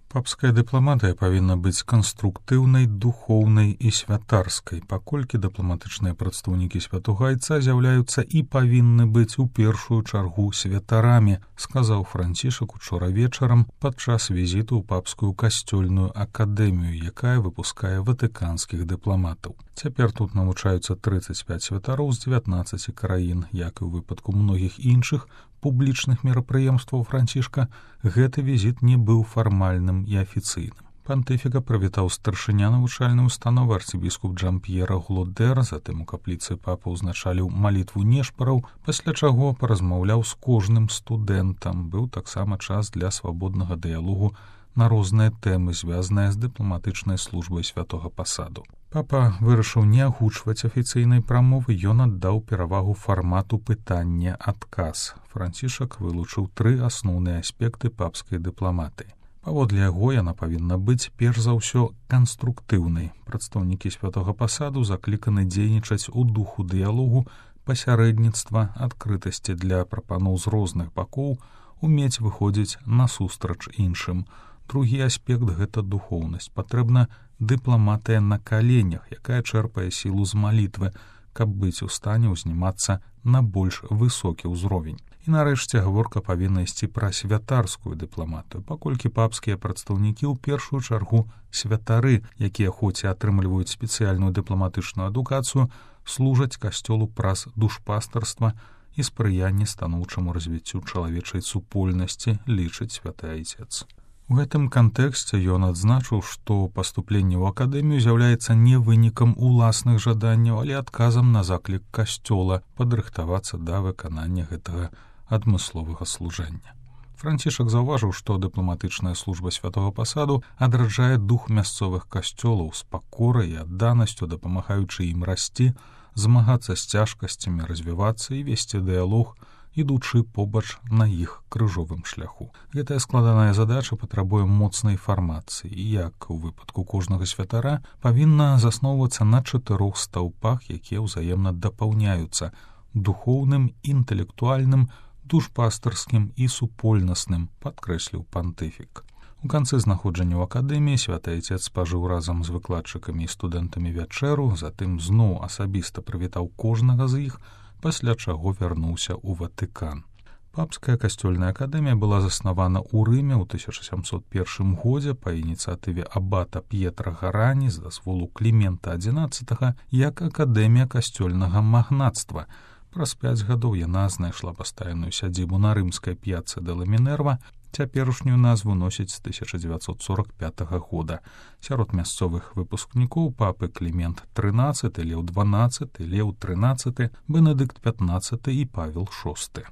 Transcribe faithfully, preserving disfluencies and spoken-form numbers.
Папская дыпламатыя павінна быць канструктыўнай, духоўнай і святарскай, паколькі дыпламатычныя прадстаўнікі святога айца з'яўляюцца і павінны быць у першую чаргу святарамі, сказаў Францішак учора вечарам падчас візіту ў папскую касцёльную акадэмію, якая выпускае ватыканскіх дыпламатаў. Цяпер тут навучаюцца трыццаць пяць святароў з дзевятнаццаці краін, як і ў выпадку многіх іншых публічных мерапрыемстваў Францішка, гэты візіт не быў фармальным і афіцыйным. Пантыфіка прывітаў старшыня навучальнай установы арцыбіскуп Джан-П'ера Глодер, затым у капліцы папа ўзначаліў малітву нешпараў, пасля чаго паразмаўляў з кожным студэнтам. Быў таксама час для свабоднага дыялогу на розныя тэмы, звязаныя з дыпламатычнай службай святога пасаду. Папа вырашыў не агучваць афіцыйнай прамовы, ён аддаў перавагу фармату пытання-адказ. Францішак вылучыў тры асноўныя аспекты папскай дыпламатыі. Паводле яго яна павінна быць перш за ўсё канструктыўнай. Прадстаўнікі святога пасаду закліканы дзейнічаць у духу дыялогу, пасярэдніцтва, адкрытасці для прапаноў з розных бакоў, умець выходзіць насустрач іншым. Другі аспект — гэта духоўнасць. Патрэбна дыпламатыя на каленях, якая чэрпае сілу з малітвы, каб быць у стане ўзнімацца на больш высокі ўзровень. І нарэшце гаворка павінна ісці пра святарскую дыпламатыю, паколькі папскія прадстаўнікі ў першую чаргу святары, якія хоць і атрымліваюць спецыяльную дыпламатычную адукацыю, служаць касцёлу праз душпастарства і спрыянне станоўчаму развіццю чалавечай супольнасці, лічыць святы айцец. У гэтым кантэксце ён адзначыў, што паступленне ў акадэмію з'яўляецца не вынікам уласных жаданняў, але адказам на заклік касцёла падрыхтавацца да выканання гэтага адмысловага служэння. Францішак заўважыў, што дыпламатычная служба святога пасаду адраджае дух мясцовых касцёлаў з пакорай і адданасцю, дапамагаючы ім расці, змагацца з цяжкасцямі, развівацца і весці дыялог, ідучы побач на іх крыжовым шляху. Гэтая складаная задача патрабуе моцнай фармацыі, і, як у выпадку кожнага святара, павінна засноўвацца на чатырох стаўпах, якія ўзаемна дапаўняюцца — духоўным, інтэлектуальным, душпастарскім і супольнасным, падкрэсліў пантыфік. У канцы знаходжання ў акадэміі святы айцец спажыў разам з выкладчыкамі і студэнтамі вячэру, затым зноў асабіста прывітаў кожнага з іх, пасля чаго вярнуўся ў Ватыкан. Папская касцёльная акадэмія была заснавана ў Рыме ў тысяча сямсот першым годзе па ініцыятыве абата П'етра Гарані з дазволу Клімента адзінаццатага як акадэмія касцёльнага магнацтва. Праз пяць гадоў яна знайшла пастаянную сядзібу на рымскай п'яцца де ла Мінерва, цяперашнюю назву носіць з тысяча дзевяцьсот сорок пятага года. Сярод мясцовых выпускнікоў папы Клімент трынаццаты, Леў дванаццаты, Леў трынаццаты, Бенедыкт пятнаццаты і Павел шосты.